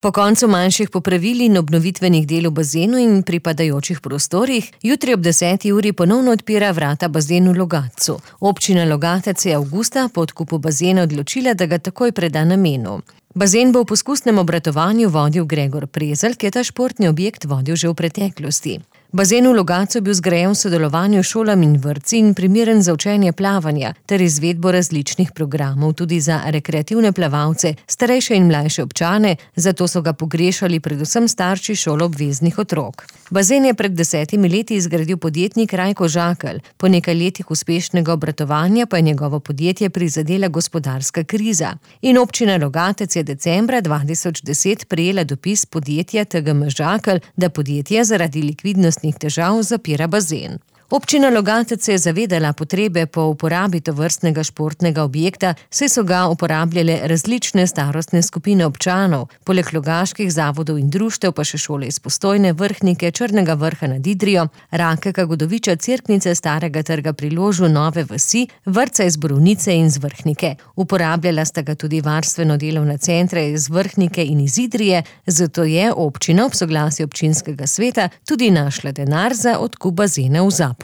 Po koncu manjših popravil in obnovitvenih del v bazenu in pripadajočih prostorih, jutri ob 10. uri ponovno odpira vrata bazen v Logatcu. Občina Logatec je avgusta po odkupu bazena odločila, da ga takoj preda namenu. Bazen bo v poskusnem obratovanju vodil Gregor Prezelj, ki je ta športni objekt vodil že v preteklosti. Bazen v Logatcu je bil zgrajen v sodelovanju s šolami in vrtci in primeren za učenje plavanja ter izvedbo različnih programov tudi za rekreativne plavalce, starejše in mlajše občane, zato so ga pogrešali predvsem starši šoloobveznih otrok. Bazen je pred 10 leti izgradil podjetnik Rajko Žakelj. Po nekaj letih uspešnega obratovanja pa je njegovo podjetje prizadela gospodarska kriza. In občina Logatec je decembra 2010 prejela dopis podjetja TGM Žakelj, da podjetje zaradi likvidnosti težav zapira bazen. Občina Logatec se je zavedala potrebe po uporabi tovrstnega športnega objekta, saj so ga uporabljale različne starostne skupine občanov, poleg logaških zavodov in društev pa še šole iz Postojne, Vrhnike, Črnega Vrha nad Idrijo, Rakeka, Godoviča, Cerknice, Starega trga pri Ložu, Nove vasi, vrtca iz Borovnice in z Vrhnike. Uporabljala sta ga tudi varstveno-delovna centra iz Vrhnike in iz Idrije, zato je občina ob soglasju občinskega sveta tudi našla denar za odkup bazena v Zapolju.